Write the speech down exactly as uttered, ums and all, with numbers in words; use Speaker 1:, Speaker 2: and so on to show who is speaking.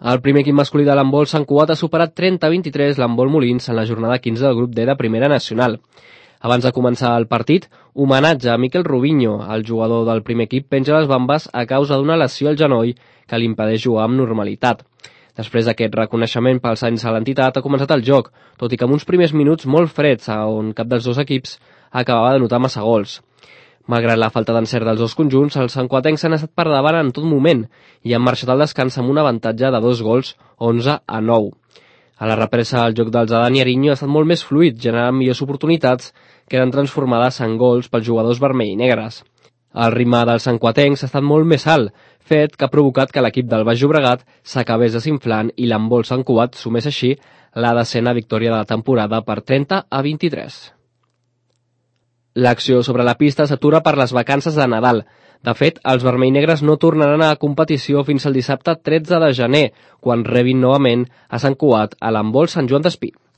Speaker 1: El primer equip masculí de l'handbol Sant Cugat ha superat trenta a vint-i-tres l'handbol Molins en la jornada quinze del grup D de Primera Nacional. Abans de començar el partit, homenatge a Miquel Rubinho, el jugador del primer equip penja les bambes a causa d'una lesió al genoll que li impedeix jugar amb normalitat. Després d'aquest reconeixement pels anys a l'entitat ha començat el joc, tot i que amb uns primers minuts molt freds on cap dels dos equips acabava de notar massa gols. Malgrat la falta d'encert dels dos conjunts, els santcuatencs han estat per davant en tot moment i han marxat al descans amb un avantatge de dos gols, onze a nou. A la represa, el joc dels Adán i Ariño ha estat molt més fluid, generant millors oportunitats que eren transformades en gols pels jugadors vermell i negres. El ritme dels santcuatencs ha estat molt més alt, fet que ha provocat que l'equip del Baix Llobregat s'acabés desinflant i l'handbol Sant Cugat sumés així la desena victòria de la temporada per trenta a vint-i-tres. L'acció sobre la pista s'atura per les vacances de Nadal. De fet, els vermell-negres no tornaran a la competició fins al dissabte tretze de gener, quan rebin novament a Sant Cugat a l'handbol Sant Joan d'Espí.